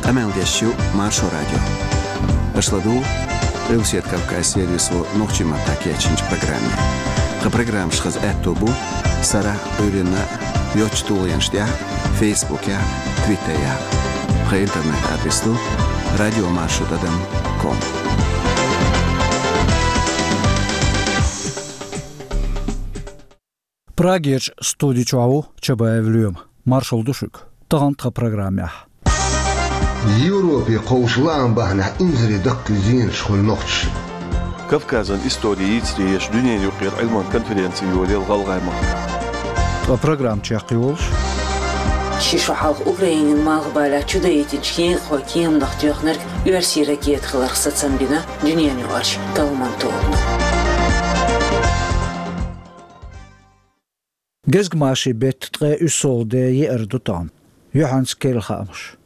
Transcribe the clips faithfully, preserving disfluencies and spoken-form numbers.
Къамел деш ю Маршо радио. Аша ладугӀу Къилбаседа Кавказан сервисо нохчийн маттахь кечйинчу программе. Тхан программаш хаза аьтто бу сарахь а, Ӏуьйранна а йоцачу тулгӀенаш тӀехь а, Фейсбукехь а, Твиттерехь а. Тхан интернет-адрес ду радио маршо тӀадам ком. Прагерчу студи чохь ву Чабаев Лоьма. Маршалла ду шуьга. Тахана тхан программехь: Европе кхочу лаам бахьанехь инзаре даккхий зенаш хуьлу нохчашна. Кавказан истори йийцаре еш дуьненан юкъара Ӏилман конференци йолаелла ГӀалгӀай махкахь. Ткъа программа чекхйолуш: ши шо хьалха Украинин малхбалехь чудайтинчу кехатхойн кеманах тоьхнарг оьрсийн ракета хиларх сацам бина дуьненаюкъарчу талламан тобано. Гезгмашин беттан ткъе уьссалгӀа де еара ду тахана. Юьхьанца керла хаамаш.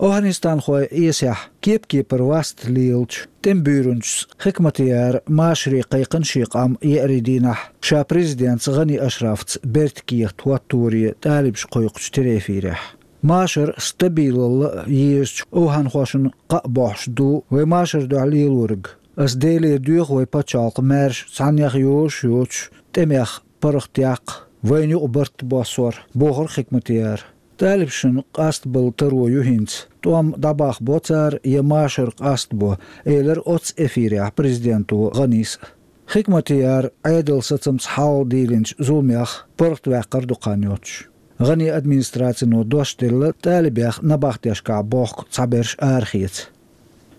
ОвхӀанистанхойн Ӏесехь кеп-кепара васт лелачу тӀеман буьйранчас Хикматияран машаре кхайкхина шен къам еарин дийнахь ша президентца ГӀани Ашрафца бертан кехат хӀотторе тӀалибаша кхойкхучу телеэфирехь. Машар стабилалла а езачу овхӀанхошна кхаъ бохьуш ду вай машарна дуьхьал лелориг. Ас Делера доьху вай пачхьалкх маьрша цхьаннех йозуш йоцуш тӀемех паргӀатъяккха, вайна юкъа барт боссор, бохура Хикматияра. ТӀалибашна къастабалла таро ю хӀинца, тӀом дӀабахбо цара я машар къастабо, элира оццу эфирехь президенто ГӀанис а. Хикматияра Ӏедалан сацамца хьалха дийлинчу зуламех паргӀатваьккхар ду кхаьрна йоцуш. ГӀанин администрацино дош делла тӀалибех набахтешкахь бохку цхьаберш арахеца.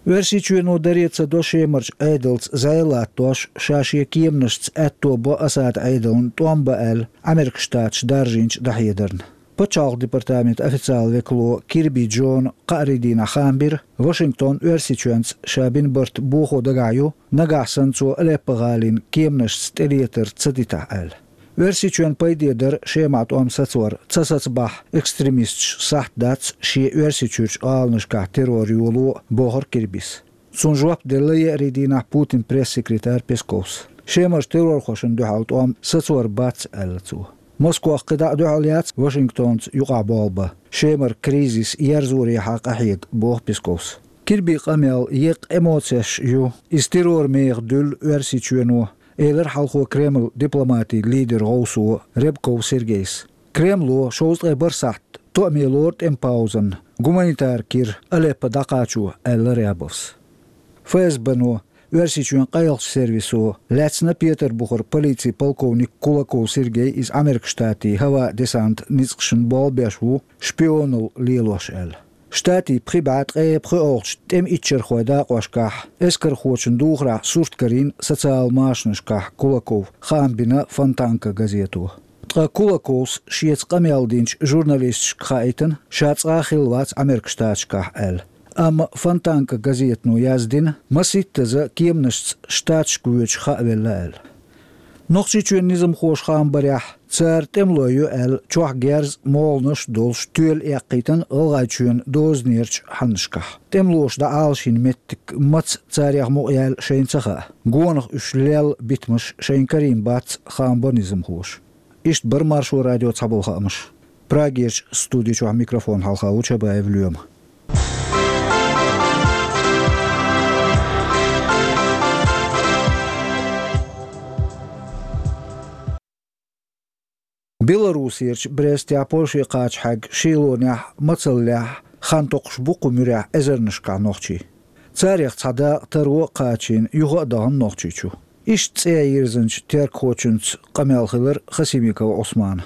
Оьрсийчоьно даре ца до Шемарчу Ӏедалца зӀе латтош, ша шен кеманашца аьтто бо Асадан Ӏедална тӀом бан аьлла, Ӏамеркан Штаташ даржийначу дӀахьедарна. Пачхьалкхан департаментан официалан векало Кирби Джона кхаарин дийнахь хаам бира, Вашингтон Оьрсийчоьнца ша бина барт бохо дагахь ю, нагахь санна цо Алеппо-гӀалин кеманашца тӀелетар ца дитахь аьлла. Оьрсийчоьнан пайде дара Шемахь тӀом сацор, ца сацабахь, экстремисташа сахьт дац шен Оьрсийчуьрчу гӀаланашкахь террор йоло а, бохура Кирбис. Цунна жоп делла еарин дийнахь Путинан пресс-секретарь Песковс. Шемарчу террорхошна дуьхьал тӀом сацор бац, аьлла цо. Москох кхидӀа а дуьхьал яц Вашингтонца юкъахь болх бан, Шемара кризис ерзорехьа къахьега, боху Песковс. Кирбин къамел еккъа эмоцеш ю, иза террор меха дуьллу Оьрсийчоьно, элира хьалхо Кремлан дипломатин лидеран гӀовсо Рябков Сергейс. Кремло шовзткъе бархӀ сахьт тоъаме лору тӀеман паузанна, гуманитаран кира Алеппо дӀакхачо, аьлла Рябовс. ФСБ-но, Оьрсийчоьнан къайлахчу сервисо, лаьцна Петарбухара полицин полковник Кулаков Сергей, иза Ӏамеркан Штатийн хӀаваан десантан ницкъашна болх беш ву, шпионалла лелош аьлла. Штатийн пхи бӀе ткъе пхоьалгӀачу тӀеман иччархойн дакъошкахь, эскархочун духарехь сурт карийна социалан машанашкахь Кулаков, хаам бина «Фонтанка» газето. Ткъа Кулаковс шеца къамел динчу журналисташка хаийтина, ша цкъа а хилла вац Ӏамеркан Штаташкахь аьлла. Амма «Фонтанка» газетано яздина, маситтаза кеманашца Штаташка воьдуш хаавелла аьлла. Нохчийчоьнан низамхоша хаам барехь, цара тӀемалой ю аьлла, чохь герз а, молханаш а долуш, тоьла эккхийтина ГӀалгӀайчоьнан дозанерчу хьаннашкахь. ТӀемалоша дӀаӀалашйина меттиг маца, царех мукъаяьлла шайна ца хаьа. Гонах уьш лелла битамаш шайна карийна бац, хаам бо низамхоша. Иштта бара Маршо радион цхьаболу хаамаш. Прагерчу студи чохь микрофон хьалха ву Чабаев Лоьма. Белорусерчу Брестехь Польше кхача хьаьгна шелонехь а, мацаллехь а хан токхуш бу кху муьрехь эзарнашкахь нохчий. Царех цхьа дакъа таро а кхачийна, юха а дахана Нохчийчу. Иштта цӀе йирзинчу тергхочуьнца къамел хилира Хасимиков Ӏусманан.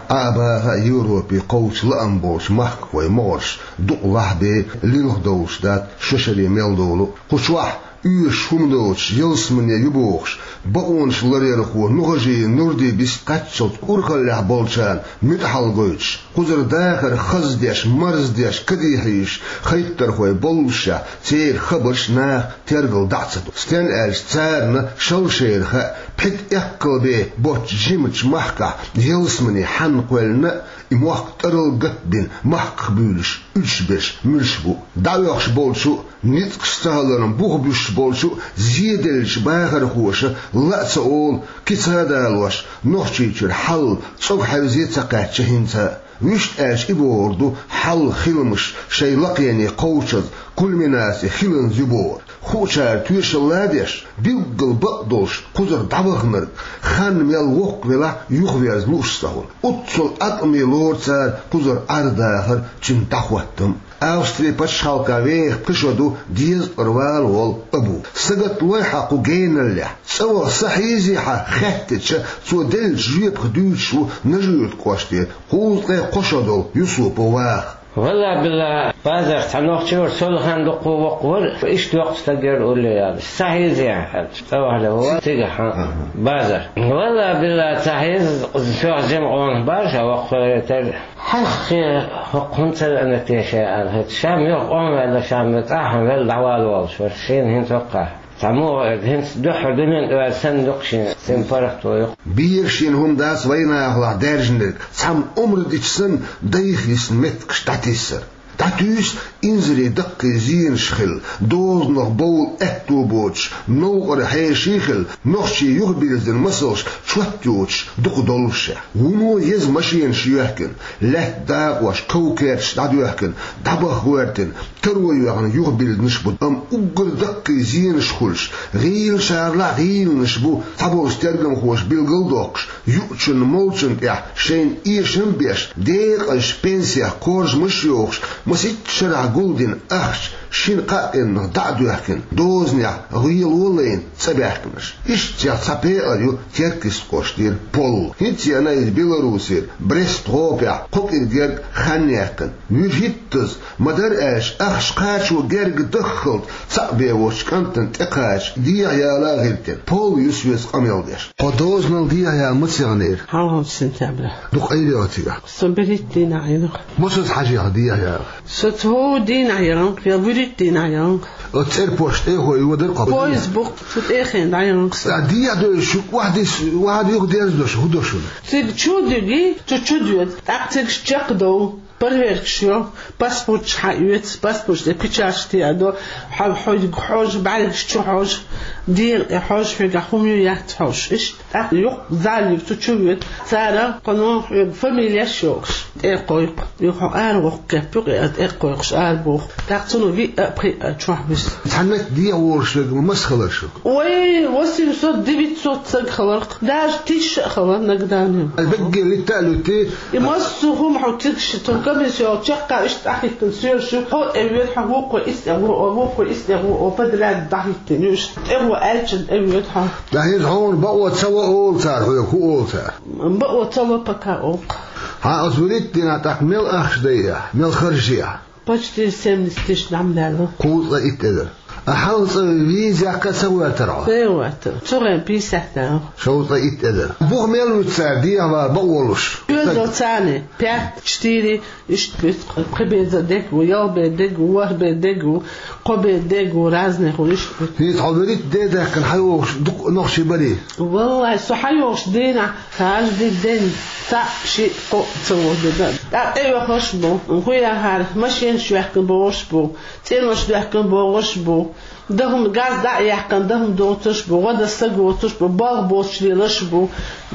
Ӏа а баха а, Европе кхочу лаам болчу махкахойн могӀарш дукъ лахь бен лилха довлуш дац шо шаре мел долу а. Кху чохь оьшуш хӀума доцуш, ялсамане ю бохуш, бакъонаш ларъярхо Нухажиев Нурди бист кхаччалц урхаллехь болчарна муьтӀахь гойтуш, кхузара дахар хаза деш, марздеш, кадехьийзаш хӀайттархой боллушехь, церан хабарш наха тергал дӀа а ца до. Стенна аьлча, царна шал шайна хаьа, пхи-ткъа эккхал бен боцчу жимачу махкахь ялсамане хьанна кхоьллина а, и мохк тӀарал гатбина, махках буьйлуш, уьдуш берш муьлш бу. ДӀаоьхуш болчу а, ницкъаш ца хиларна бух буьсуш болчу а зеделлачу бахархоша ла а ца олу, кица а далош, Нохчийчуьра хьал цӀога хьевзе а ца кхаьчча хӀинца а. Вуьшта аьлча, и бохург ду хьал-хиламаш шайн лакхене кховдаза, кульминаци хиланза ю бохург. Хуучара тоьшалла а деш, билггал бакъдолуш кхузара дӀаваханарг, хан мел воккха велахь а, юхаверза лууш ца хуьлу. Оццул Ӏаткъаме лору цара кхузара Ӏер-дахар, цуьнан дӀахӀоттам. Австрин пачхьалкхе веха пхи шо ду дезткъара вала волу Абу. Сагатлой хьан кху геналлехь, цӀа ваха са хьийзий хьан хаьттича, цо деллачу жоьпах дуьйцуш ву Нажи-Юьртан кӀоштера кхузткъе кхо шо долу Юсупов Ваха. Валла-билла, базарахь цхьа нохчи вара, со лахана дуккха воккха вара, иштта йоккха стаг яра улле яла. Са хьийзий хьан аьлча, цӀа вахана ву цигахь, хьан, базар. Валла-билла, ца хьийза, соьх жима къонах бара, ша воккха вара тера. Хьаьххе, хӀокху хӀунда ца веана те ша аьлла, хӀета ша муьлха къомаваьлла, ша муьлха цӀахь велла дӀавала волуш вара, шена хӀинца хӀокхахь. Цхьа муха, хӀинца дуьххьара дуьнен тӀе ваьлла санна ду-кх шена, цуьнан паргӀато ю-кх. Бехаш йина хӀума дац вайнахалахь даьржинарг, цхьамма омра дича санна, дайх йисна меттигаш дӀатиссар. ДӀатуьйсу инзаре даккхий зенаш хилла, дозанах бовла аьтто боцуш, новкъара хьеший хилла, нохчий юхабирзина масалш чот йоцуш дукха доллушехь. Вуно еза машенаш йоьхкина, лаьтта дакъош, ков-керташ дӀадоьхкина, дӀабаха гӀоьртина, таро йоьхна юхабирзинарш бу, амма уггар даккхий зенаш хуьлуш, гӀийлачарлахь гӀийланаш бу, цхьаболчу тергамхоша билгалдоккхуш, юучунна, молчунна тӀехь шайна эшам а беш, декъазчу пенсех кхоржамаш а йохуш, масийтта шарахь гулдина ахча шина-кхаа къинах дӀа а доьхкина, дозанехь гӀело а лайна цӀа баьхкинарш. Ишттачех цхьа пекъар ю Теркйистан кӀоштера Пол. ХӀинца а веана иза Беларусера Брест-гӀопехь кхо кӀира герга хан яьккхина. Вуьшиттаза, ма-дарра аьлча, ахча кхачо герга даххалц цхьаъ бен воцучу кӀантана тӀекхача дехьаяла гӀиртина. Пол юьсу веза къамел деш. Хьо дозанал дехьаяла мацах яьхнера? Хьалхарчу сентябрехь. Дукха Ӏийр йо хьо цигахь? Со берхӀитта дийнахь яьхна. Масаза хьажий хьо дехьаяла? Со цхьа дийнахь яьхна, я вуьрхӀитта дийнахь яьхна. Оцу цӀерпошта тӀехо йодара хьо? Поезд бу-кх, цу тӀехе дӀаяьхна со. Ткъа дехьа дойзуш, шу охьадис-, охьа юхадерзадо шу, хӀун до шуна? Цига чу а дуьгий, цу чу а доьду. ТӀаккха цига чекхдовла. Проверкаш йо, паспорташ хьаоьцу, паспорташ тӀе печаташ теадо, хьо-, хьоьга хьожа, бӀаьргаш чу хьожа, дегӀан тӀе хьожа, хьоьгахь хӀума ю, яц хьожа. Иштта тӀаккха юха зал ю, цу чу воьду. Цара кхуьнан хьоьга фамилеш йогӀуш тӀе а кхойкху. Юха хьо ара воккху кеп ю, кхин а тӀе а кхойкхуш ара боху. ТӀаккха цунах виъ а, пхиъ а чохь вуьсу. Цхьа метта дехьа волуш верг масхалар шу? Ой, восемьсот-девятьсот саг хилар-кх. Даже тысяча а хилар нагадане. Вегге литта а луьтти. И массо а хӀума хьо цига ши тун комиссио чекхъа иштта тӀахӀиттина соьлуш ю. Хьо тӀе воьду, хьо вукхо иза тӀе вуо, вукхо иза тӀе вуо, подряд дӀахӀиттина ю. Иштта тӀе вуо аьлча тӀе воьду хьо. ТӀаккха хӀинца хьуна бакъо ца ло олу цара, хьоьга хӀун олу цара? Бакъо ца ло пока олу-кх. Хьан оцу вуьрхӀитта дийнахь тӀаккха мел ахча дайи ахь, мел харжи ахь? Почти семьдесят тысяч дӀа ма даьлла. Кхузткъе итт эзар. А хьалха цӀа виза яккха а ца гӀоьртара хьо? Ца гӀоьртара. Цу хенахь пятьдесят даьлла. Шовзткъе итт эзар. Бух мел вуьту цара дехьавала бакъо луш? Оьзда царна пять, четыре, иштта вуьту, кхо бен дега ву, ялх бен дега ву, ворхӀ бен дега ву, кхо бен дега ву, разных ву, иштта вуьту. ХӀинца хьо вуьрхӀитта де даьккхина хьайогӀуш дукха нохчий барий? Валлай, со хьайогӀуш дийнахь, каждый день цхьаъ, шиъ, кхоъ ца вогӀу дина. ТӀаккха тӀеоьхуш бу, хӀун яхьара, машенаш йоьхкина богӀуш бу, цӀенош доьхкина богӀуш бу, даха-м, газ дӀа а яьккхина, даха-м доцуш бу, гӀо дан са гоцуш бу, болх боцуш лелаш бу.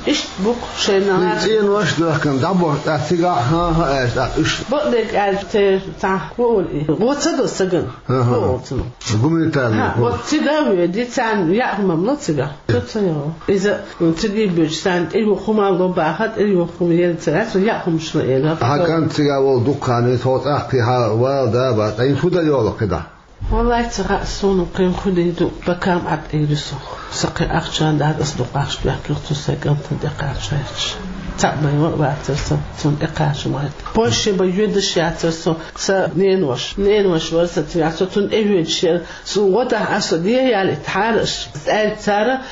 Иштта бу-кх шайна. И цӀенош доьхкина дӀабоху, тӀаккха цигахь хӀан-хӀа аьлча, тӀаккха уьш. Бакъдерг аьлча, те, цхьа, хӀун олу и? ГӀо ца до сагана. ХӀан-хӀа. ХӀун олу цунах? Гуманитарный. ХӀа, вот цига а воьдий, царна яа хӀума ма ло цигахь. Цо ца йо. Иза, м, цига а боьдуш, царна тӀеюху хӀума ло бахар, тӀеюху хӀума ела ца лаьцна, яа хӀумаш ло эр. Хьан кӀант цигахь волу дукха хан, хьо цӀахкхий хьан вала да а бац, ткъа хӀинца хӀун дан йолу кхидӀа? Валлай, ца хаьа суна кхин хӀун дийр ду, пока-м Ӏад Ӏийр ю со. Сан кхин ахча а дац, аса дукха ахча доьхкина цу сайн кӀантана тӀекхача гӀерташ. Цхьаъ бен ван а вацара сан, цунна тӀекхача ма гӀерта. Польше бен йоьдуш яцара со, сан ненош. Ненош вара сан цигахь, со цунна тӀевоьдуш яра. Суна гӀо дахь аса, со дехьа ялийтахьара аш. Аьлча цара,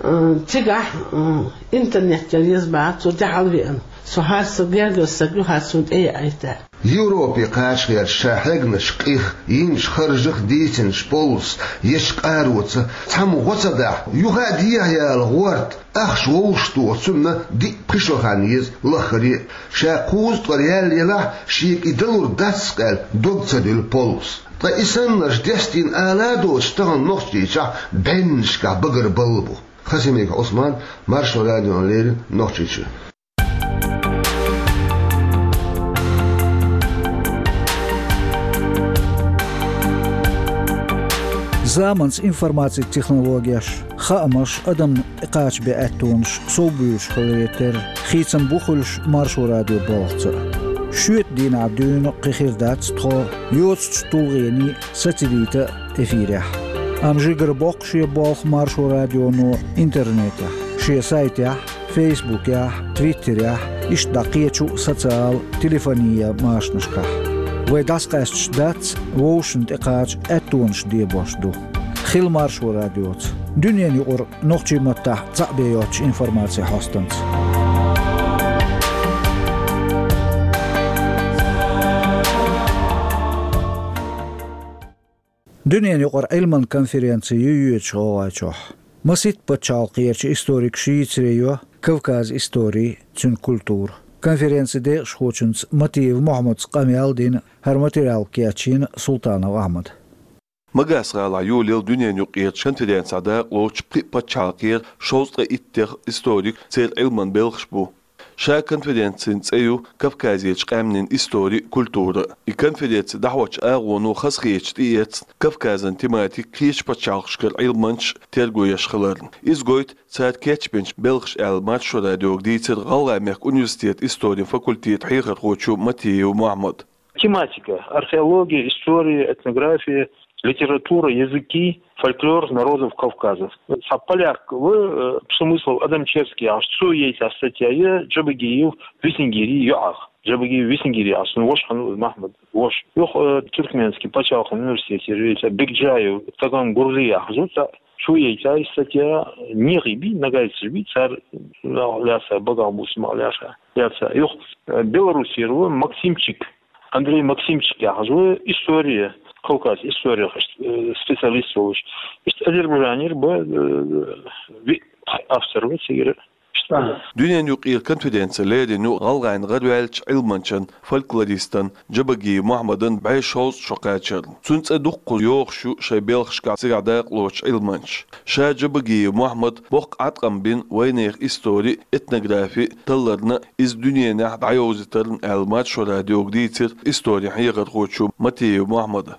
м, цигахь, м, интернет яр еза бахьа, цо тӀехьа веана. Со хӀара сан гергара саг ю, хӀара суна тӀе яийта. Европе кхачахьерчу ша хьегнаш къих, йинчу харжах дийцинчу Поллас ечу къароца цхьамма гӀо ца дахь, юха а дехьаяла гӀорта, ахча вовшахтоха цунна диъ-пхи шо хан еза лаххаре а. Ша кхузткъара яьлла елахь, шега и далур дац-кх аьлла, дог ца дуьллу Поллас. Ткъа и саннарш дестийна ала а доцуш, тахана Нохчийчохь бӀеннашкахь багара балла бу. Хасимиков Ӏусман, Маршо радиона леррина, Нохчийчуьра. Заманца информацин технологеш, хаамаш, адамна тӀекхача бе аьттонаш совбуьйлуш хиларе терра, хийцам бу хуьлуш Маршо радион балхаца. Шоьтан дийнахь дуьйна кхин хир дац тхо йоцучу тулгӀенийн сацадийта эфирехь. Амма жигара боккху шен болх Маршо радионо интернетехь, шен сайтехь, фейсбукехь, твиттерехь, иштта дӀа кхечу социал, телефонийн машанашкахь. Вай дӀасакъаьсташ дац, вовшашна тӀекхача аьттонаш дебош ду. Хила Маршо радиоца. Дуьненан юкъара нохчийн маттахь цхьаъ бен йоцучу информацин хьостанца. Дуьненан юкъара Ӏилман конференци ю йоьдуш ГӀалгӀайчохь. Масийтта пачхьалкхерчу историкаша йийцаре йо Кавказан истори, цуьнан культура. Конференцин декъашхочуьнца Матиев Мохьмадца къамел дина, хӀара материал кечйина Султанов Ахьмада. Магас-гӀалахь йолаелла дуьненан юкъерчу конференцехь дакъалоцуш пхи пачхьалкхера шовзткъе иттех историк, церан Ӏилман белхаш бу. Ша конференцин цӀе ю Кавказерчу къаьмнийн истори а, культура а. И конференци дӀахьочу агӀоно хазахеташ тӀеэцна Кавказан тематика кхечу пачхьалкхашкара Ӏилманчаш терго еш хиларна. Иза гойту цара кечбинчу белхаша аьлла, Маршо радиога дийцира ГӀалгӀай мехкан университетан историн факультетан хьехархочо Матиев Мохьмада. Тематика: археология, история, этнография, литература, языки, фольклор народов Кавказа. Цхьа поляк ву, э, Пшемыслов Адамчевский яхаш, цо яйта статья я Джабагиев Виснегири йоӀах. Джабагиев Виснегири яхаш, ну, воша хьан Мохьмад, воша. Юха, э, Тюркменский пачхьалкхан университете яйта Бекджаев Таган Гурзи яхаш ву, цхьа цо яйта статья, нехий бий, ногайцаш бий, цара лаьца, багахбуссий ма лаьца, лаьца. Юха, э, Белоруссера ву Максимчик, Андрей Максимчик яхаш ву, история, Кавказ история, э, специалист волуш. Иштта Азербайджанера бу, э, ви-, автор ву цигара. Иштта. Дуьненан юкъера конференци лерина ю гӀалгӀайн гӀараваьллачу Ӏилманчан, фольклористан Джабагиев Мохьмадан бӀе шовзткъа шо кхачарна. Цуьнан цӀе дуккха йохуш ю шайн белхашкахь цигахь дакъалоцучу Ӏилманчаша. Ша Джабагиев Мохьмад боккха Ӏаткъам бина вайнехан истори а, этнографи а талларна а, иза дуьненахь дӀайовзийтарна аьлла, Маршо радиога дийцира историн хьехархочо Матиев Мохьмада.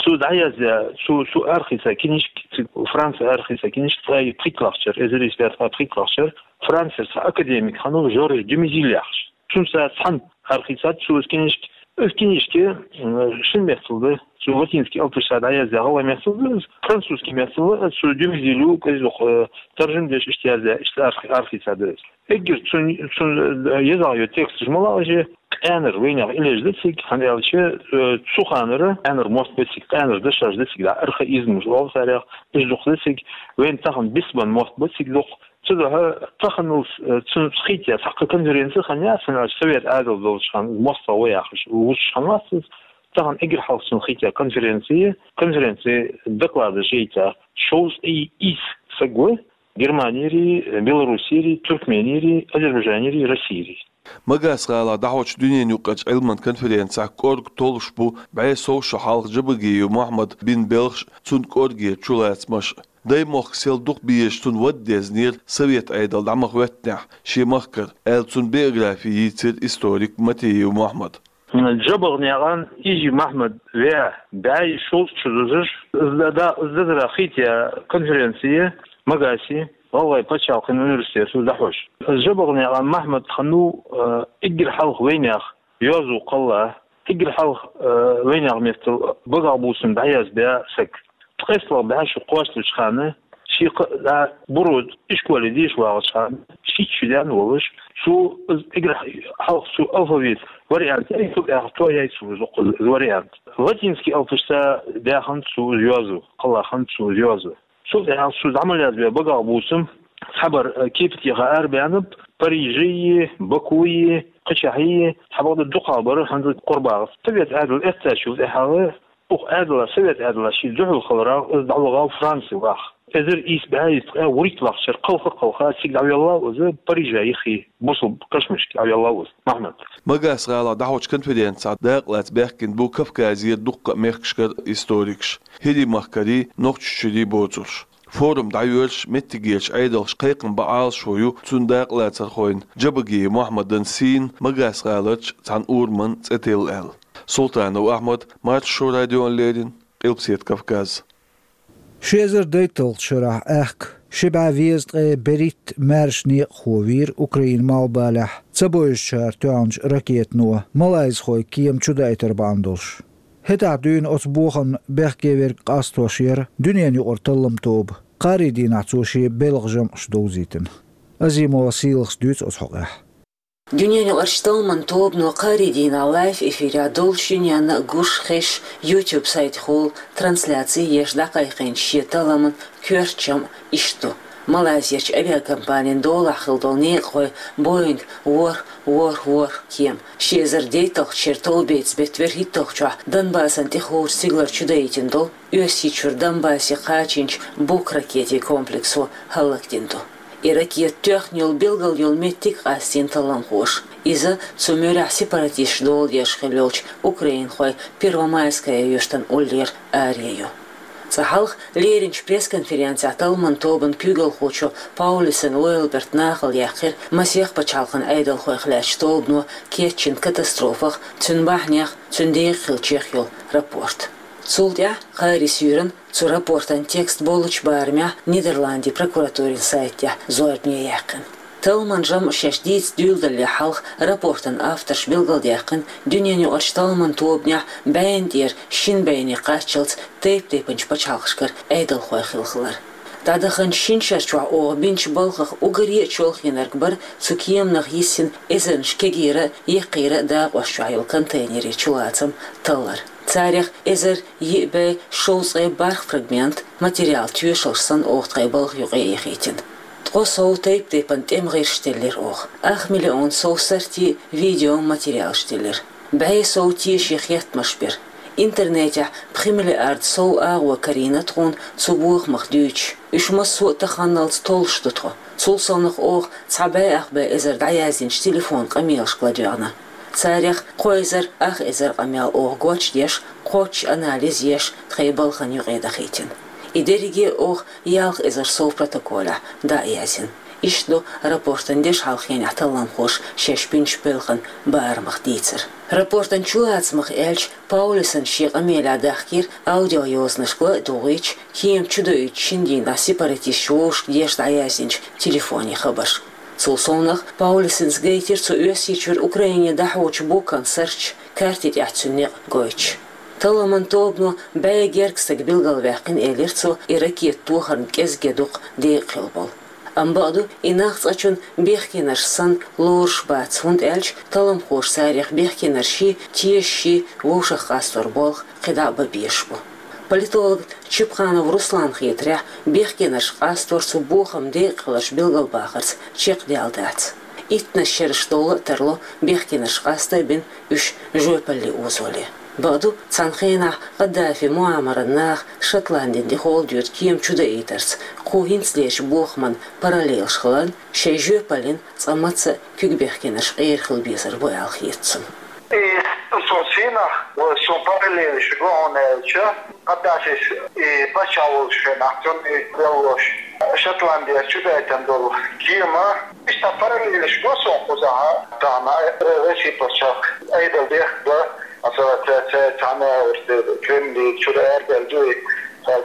Цо дӀаязъяь, цо, цо арахийца книжка, цу Франце арахийца книжка, ткъе пхийтталагӀчара, эзар исс бӀе ткъе пхийтталагӀчара, Францера цхьа академик хиннав Жорж де Мезиль яхаш. Цуьнца цхьаьна арахийцад цо иза книжка. Иза книжка, м, шина меттала ду, цо латинский алапашца дӀаязъяь гӀалгӀай меттала ду иза, французский меттала, цо де Мезилю, кӀезиг, э, таржам деш иштта язъяь, иштта арахи-, арахийцад иза. Эггара цуьнан, цуьнан, э, езагӀа йо тексташ ма лаьа, къаьнара вайнехан иллеш ду цига, хӀунда аьлча, э, цу ханара къаьнара мотт бу цига, къаьнара дашаш ду цига, архаизмаш олу царех, уьш дукха ду цига, вайна тахана бицбан мотт бу цига дукха. Цудухьа таханалц, э, цуьнца хетта цхьаккха конференци хиннаяц, хӀунда аьлча совет Ӏедал долчу ханна, мостагӀ ву яхаш, вузуш хиннавац иза. Тахана эггара хьалха цунна хетта конференци, конференци докладаш яйта шовзткъе исс саг ву, Германерий, Белоруссерий, Туркменерий, Азербайджанерий, Россерий. Магас-гӀалахь дӀахьочу дуьненан юкъарчу Ӏилман конференцехь кӀорга толлуш бу бӀе сов шо хьалха Джабагиев Мохьмада бина белхаш а, цуьнан кӀоргера чулацамаш а. Даймохк сел дукха безаш, цунна вада дезнера совет Ӏедал дӀа ма хӀоьттинехь шен махкара, аьлла, цуьнан биографи йийцира историк Матиев Мохьмада. ДжабагӀнекъан Ижи Мохьмад веа, бӀе шовзткъа шо дузуш, иза да-, иза дазара хетта конференци Магасе, гӀалгӀай пачхьалкхан университето дӀахьош. ДжабагӀнекъан Мохьмад хиннав, э, эггара хьалха вайнехан йоазув кхалла, эггара хьалха, э, вайнехан меттала багахбувсам дӀаязбаь саг. ТкъестлагӀа бӀе шо кхоссалучу ханна, шен кхаа да Буро ишколе деша вагӀачу ханна, шийтта шо даьнна волуш, цо иза эггара хьалха цо алфавит вариант яй, цул тӀаьхьа тояй цо иза, иза вариант. Латинский алапашца даьхна цо иза йоазув, кхалла хинна цо иза йоазув. Цул тӀаьхьа цо дӀа ма язбаь багахбувсам, цхьабар, э, кепатеха арабаьннаб, Париже, Бакуе, кхечахье, цхьабакъда дукхахбар хӀанзалца Къурбагъаца. Совет Ӏедал эцначул тӀаьхьа, укх Ӏедала, совет Ӏедала шен дуьхьал хиларах, иза дӀавахав Франце ваха. Эзар исс бӀе ткъе вуьрхӀитталагӀчара кхалха-кхалха цига дӀавеллав иза, Парижа юххе, бусалба кашамашка дӀавеллав иза, Мохьмад. Магас-гӀалахь дӀахьочу конференцехь дакъалаца баьхкина бу Кавказера дуккха а мехкашкара историкаш, ХӀирийн махкарий, Нохчийчуьрий боцурш. Форум дӀайоьрзуш меттигерчу Ӏедалша кхайкхам бан Ӏалашо ю цуьнан дакъалацархойн Джабагиев Мохьмадан сийна Магас-гӀаларчу цхьана ураман цӀе тилла аьлла. Султанов Ахьмад, Маршо радиона леррина, Къилбаседа Кавказ. Ши эзар дейтталгӀача шерахь аьхка ши бӀаь везткъе берхӀитта маьрша некъахо вийра Украинан малхбалехь ца бовзачара тоьхначу ракетано малайзхойн кема чудаийтар бахьана долуш. ХӀетахь дуьйна оцу бохамна бехке верг къастош яра дуьненаюкъара талламан тоба. Кхаарин дийнахь цо шен белхан жамӀаш довзийтина. Азимова Сийлахас дуьйцу оцу хьокъехь. Дуьненаюкъарчу талламан тобано кхаарин дийнахь лайв эфирехь долуш, дуьненна гуш, хезаш, YouTube сайтехула трансляци еш дӀакхайкхийначу шен талламан коьрта жамӀ иштта ду: Малайзерчу авиакомпанин долахь хилла долу некъахойн Боинг ворхӀ ворхӀ ворхӀ кема, ши эзар дейтталгӀачу шеран товбеца беттан верхӀитталгӀачохь Донбассан тӀехула стигалара чудаийтина долу Оьрсийчуьра Донбассе кхачийначу Бук ракетийн комплексо хӀаллакдина ду. И ракета тоьхна йолу билггал йолу меттиг а къастийна талламхоша. Иза цу муьрехь сепаратисташ дола деш хилла йолчу украинхойн Первомайская юьртана уллера аре ю. Цкъа хьалха леринчу пресс-конференцехь талламан тобан куьйгалхочо Паулюсен Лойлберта нахала яьккхира масех пачхьалкхан Ӏедалхойх лаьттачу тобано кечйина катастрофах, цуьнан бахьанех, цуьнан декъахь хиллачех йолу рапорт. Цул тӀаьхьа кхаарин суьйранна цу рапортан текст боллучу барамехь Нидерландийн прокуратурин сайта тӀехь зорбане яьккхина. Талламан жамӀ шаьш дийца дуьйладалале хьалха рапортан авторша билгалдаьккхина дуьненаюкъарчу талламан тобанехь бӀенна тӀера шина бӀене кхаччалц тайп-тайпанчу пачхьалкхашкара Ӏедалхой хилла хилар. ДӀадаханчу шина шарчохь оха бинчу балхах уггаре а чолхийнарг бара цу кеманах йисина эзарнаш кегийра а, еккхийра а дакъош чохь йолу контейнерийн чулацам таллар. Царех эзар йиъ бӀе шовзткъе бархӀ фрагмент, материал, тоьшаллаш санна оха тхайн балха юкъа эхийтина. Ткъо сов тайп-тайпана тӀеман гӀирсаш теллира оха. Ах миллион сов сартий, видео материалаш теллира. БӀе сов тешийн хеттамаш бира. Интернетехь пхи миллиард сов агӀо карийна тхуна цу бохамах дуьйцуш. Уьш массо а таханалц толлуш ду тхо. Цул совнах оха цхьа бӀе ах бӀе эзар дӀаяздинчу телефон къамелашка ладоьгӀна. Царех кхо эзар ах эзар къамел оха гочдеш, кхоччуш анализ еш, тхайн балхан юкъа дахийтина. И дерриге а оха ялх эзар сов протоколехь дӀа а яздина. Иштта ду рапортан дешхьалхенехь талламхоша шаьш бинчу белхан барамах дийцар. Рапортан чулацамах аьлча, Паулюсена шен къамелехь дахкийра аудиойозанашка ла а дугӀуьйтуш, кема чудоуьйтучу шина дийнахь сепаратисташа вовшашка деш дӀаяздинчу телефонийн хабарш. Цул совнах Паулюсенас гайтира цу Оьрсийчуьра Украине дӀахьочу букан сарташ, карти тӀехь цуьнан некъ гойтуш. Талламан тобано бӀе гергга стаг билгалваьккхина, элира цо, и ракета тохарна кӀезиг а дукха декъахь хилла болу. Амма бакъду, и нах цкъачунна бехкенарш санна лоруш бац, хӀунда аьлча талламхоша царех бехкенаршший, тешашший вовшах къастор болх кхидӀа а бан безаш бу. Политолог Чепханов Русланна хетарехь, бехкенарш къастор цу бохаман декъахьларш билгалбахарца чекхдаьлла дац. Иттаннаш шераш довла а тарло бехкенарш къасто а бина, уьш жоьпалле озоле. Бакъду, цхьана хенахь Къаддафи муамаран наха Шотландина тӀехула доьду кема чудаийтарца кху хӀинцалерчу бохаман параллелаш хиларна, шайн жоьпаллин цкъа маца а куьг бехкенарш къера хила безар бу аьлла хета цунна. И цунна сийнахь, цунна параллелаш го хьуна аьлча, Къаддафис и паччахь волчу хенахь цунна и деллош Шотландера чудайтина долу кема, иштта параллелаш го суна кхузахь, тахана Россин пачхьалкх Ӏедал дехка, масала, ца, ца, цхьана Кремле чуьра арадаьлла ду и,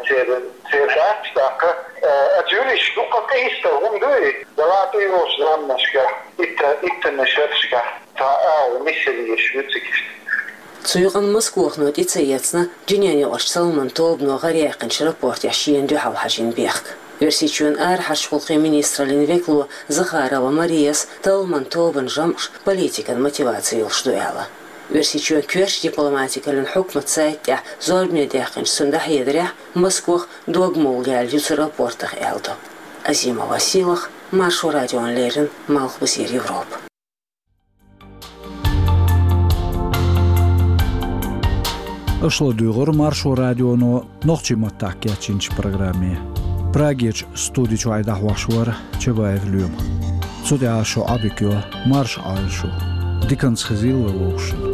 церан, церан дац, тӀаккха, а, оцу юьрташка дукха къийса хӀума ду и, далату йолчу заманашкахь, итта-, иттаннаш шерашкахь. Цхьа агӀо нисъелла еш ю цига. Цу юкъанна Москвахано тӀе ца эцна дуьненаюкъарчу талламан тобано гӀараяьккхинчу рапортехь шена дуьхьал хьажийна бехк. Оьрсийчоьнан арахьарчу гӀуллакхийн министраллин векало Захарова Марияс талламан тобан жамӀаш политикан мотиваци йолуш ду аьлла. Оьрсийчоьнан коьртачу дипломатикаллин хьукматан сайта тӀехь зорбане даьккхинчу цунна дӀахьедарехь, Москвах догмалла яьлла ю цу рапортах аьлла ду. Азимова Сийлаха, Маршо радиона леррина, Малхбузера Европа. Аша ладуьйгӀира Маршо радионо нохчийн маттахь кечйинчу программе. Прагерчу студи чуьра дӀахьош вара Чабаев Лоьма. Цу тӀехь шун Ӏодика йо, марша Ӏойла шу. Диканца хезийла вай вовшашна.